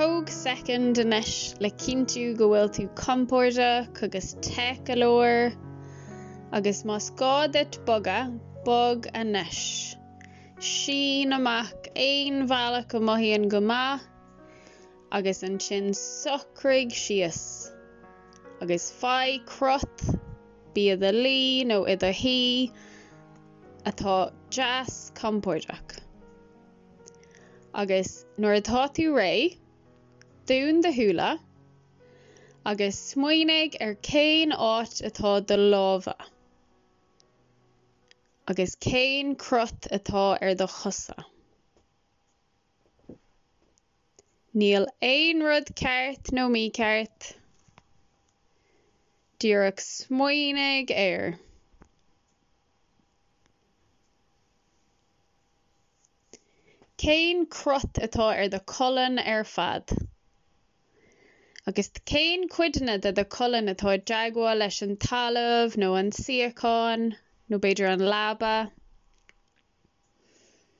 Tóg soicind anois le cinntiú go bhfuil tú compordach agus te go leor, agus más gá duit bogadh, bog anois. Sín amach aon bhealach a mothaíonn go maith agus ansin socraigh síos agus faigh crot, bí i do luí nó i do shuí, atá deas compordach. Agus nuair atá tú réidh, dún do shúile agus smaoinigh ar cén áit atá do lámha agus cén crot atá ar do chosa. Níl aon rud ceart nó mícheart, díreach smaoinigh air. Cén crot atá ar do cholainn ar fad? Agus cén cuideanna de do cholainn atá i dteagmháil leis an talamh nó an suíochán nó b'fhéidir an leaba?